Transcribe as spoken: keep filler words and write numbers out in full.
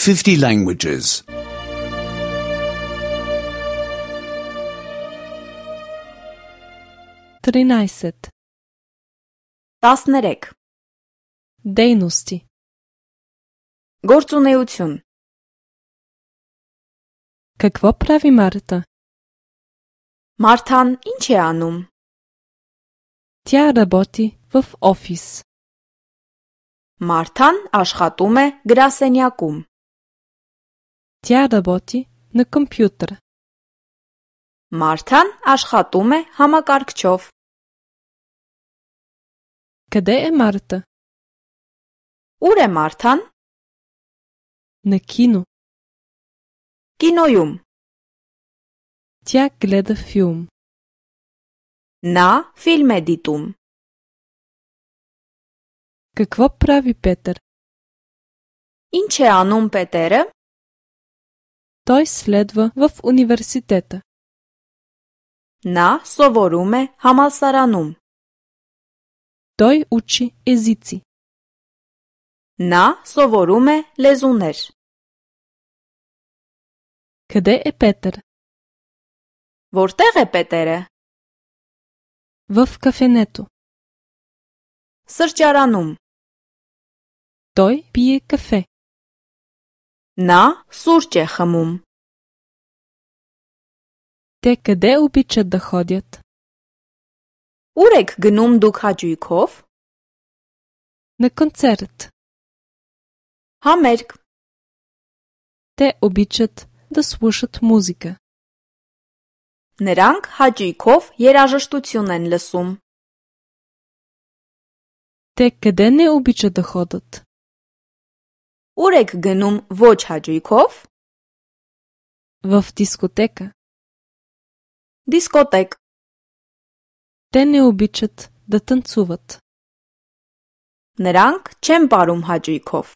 fifty languages. тринайсет. տասներեք Дейности. Գործունեություն Какво прави Марта? Մարթան ինչ է անում? Тя работи в офис. Մարթան աշխատում է գրասենյակում. Тя работи на компютър. Մարթան աշխատում է համակարգչով. Къде е Марта? Ուր է Մարթան? На кино. Կինոյում. Тя гледа филм. Նա ֆիլմ է դիտում. Какво прави Петър? Ինչ է անում Պետերը? Той следва в университета. Նա սովորում է համալսարանում. Той учи езици. Նա սովորում է լեզուներ. Къде е Петър? Որտեղ է Պետերը? В кафенето. Սրճարանում. Той пие кафе. Նա սուրճ է խմում. Те къде обичат да ходят? Ուր եք գնում դուք հաճույքով? На концерт. Համերգ. Те обичат да слушат музика. Նրանք հաճույքով երաժշտություն են լսում. Те къде не обичат да ходят? Ուր եք գնում ոչ հաճույքով? В дискотека. Դիսկոտեկ. Те не обичат да танцуват. Նրանք չեն ապրում հաճույքով.